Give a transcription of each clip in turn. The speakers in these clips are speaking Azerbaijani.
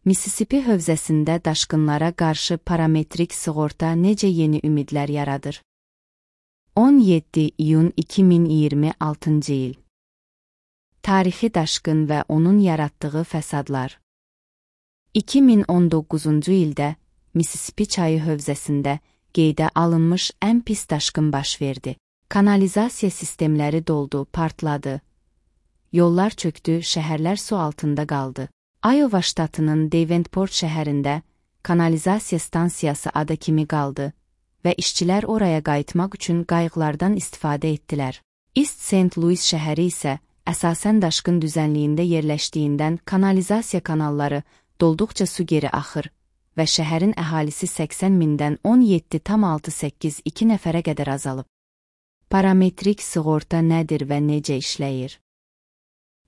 Missisipi hövzəsində daşqınlara qarşı parametrik sığorta necə yeni ümidlər yaradır? 17 iyun 2026-cı il. Tarixi daşqın və onun yaratdığı fəsadlar. 2019-cu ildə Missisipi çayı hövzəsində qeydə alınmış ən pis daşqın baş verdi. Kanalizasiya sistemləri doldu, partladı. Yollar çöktü, şəhərlər su altında qaldı. Iowa ştatının Davenport şəhərində kanalizasiya stansiyası ada kimi qaldı və işçilər oraya qayıtmaq üçün qayıqlardan istifadə etdilər. East St. Louis şəhəri isə əsasən daşqın düzənliyində yerləşdiyindən kanalizasiya kanalları dolduqca su geri axır və şəhərin əhalisi 80 mindən 17,682 nəfərə qədər azalıb. Parametrik sığorta nədir və necə işləyir?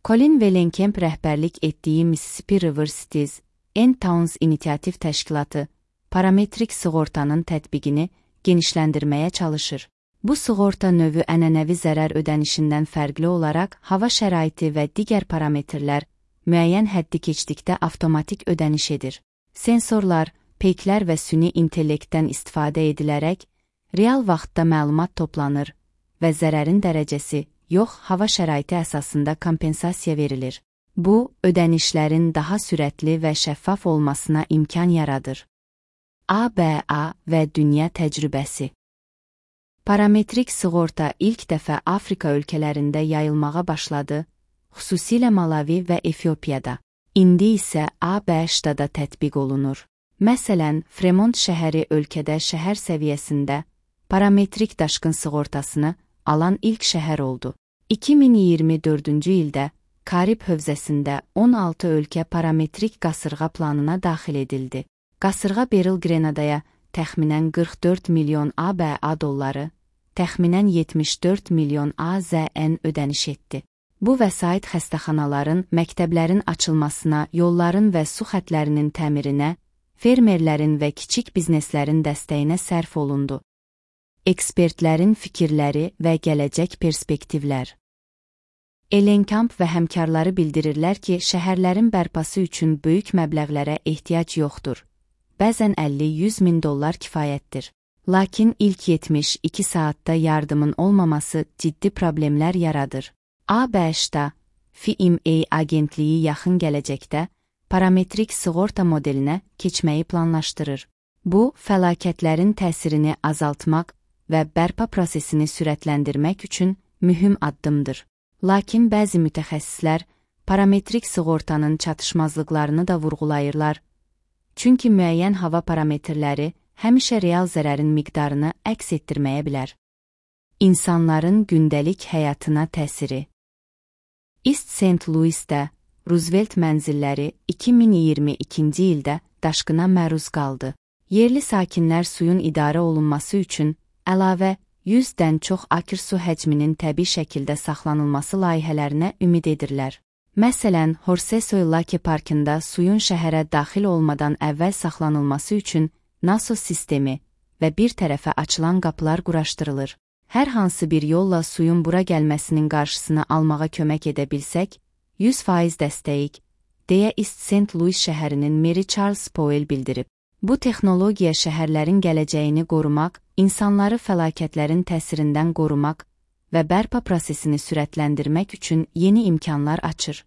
Colin Vellenkemp rəhbərlik etdiyi Mississippi River Cities and Towns inisiativ təşkilatı parametrik sığortanın tətbiqini genişləndirməyə çalışır. Bu sığorta növü ənənəvi zərər ödənişindən fərqli olaraq hava şəraiti və digər parametrlər müəyyən həddi keçdikdə avtomatik ödəniş edir. Sensorlar, peyklər və süni intellektdən istifadə edilərək real vaxtda məlumat toplanır və zərərin dərəcəsi yox, hava şəraiti əsasında kompensasiya verilir. Bu, ödənişlərin daha sürətli və şəffaf olmasına imkan yaradır. ABA və dünya təcrübəsi. Parametrik sığorta ilk dəfə Afrika ölkələrində yayılmağa başladı, xüsusilə Malavi və Efiopiyada. İndi isə ABŞ-da da tətbiq olunur. Məsələn, Fremont şəhəri ölkədə şəhər səviyyəsində parametrik daşqın sığortasını alan ilk şəhər oldu. 2024-cü ildə Karib hövzəsində 16 ölkə parametrik qasırğa planına daxil edildi. Qasırğa Beryl Grenadaya təxminən 44 milyon ABA dolları, təxminən 74 milyon AZN ödəniş etdi. Bu vəsait xəstəxanaların, məktəblərin açılmasına, yolların və su xətlərinin təmirinə, fermerlərin və kiçik bizneslərin dəstəyinə sərf olundu. Ekspertlərin fikirləri və gələcək perspektivlər. Ellenkamp və həmkarları bildirirlər ki, şəhərlərin bərpası üçün böyük məbləğlərə ehtiyac yoxdur. Bəzən 50-100 min dollar kifayətdir. Lakin ilk 72 saatda yardımın olmaması ciddi problemlər yaradır. ABŞ-da FEMA agentliyi yaxın gələcəkdə parametrik sığorta modelinə keçməyi planlaşdırır. Bu, fəlakətlərin təsirini azaltmaq və bərpa prosesini sürətləndirmək üçün mühüm addımdır. Lakin bəzi mütəxəssislər parametrik sığortanın çatışmazlıqlarını da vurğulayırlar, çünki müəyyən hava parametrləri həmişə real zərərin miqdarını əks etdirməyə bilər. İnsanların gündəlik həyatına təsiri. East St. Louisdə Roosevelt mənzilləri 2022-ci ildə daşqına məruz qaldı. Yerli sakinlər suyun idarə olunması üçün əlavə 100-dən çox akr su həcminin təbii şəkildə saxlanılması layihələrinə ümid edirlər. Məsələn, Horsesoy Lake Parkında suyun şəhərə daxil olmadan əvvəl saxlanılması üçün NASO sistemi və bir tərəfə açılan qapılar quraşdırılır. Hər hansı bir yolla suyun bura gəlməsinin qarşısını almağa kömək edə bilsək, 100% dəstəyik, deyə East St. Louis şəhərinin meri Charles Powell bildirib. Bu texnologiya şəhərlərin gələcəyini qorumaq, insanları fəlakətlərin təsirindən qorumaq və bərpa prosesini sürətləndirmək üçün yeni imkanlar açır.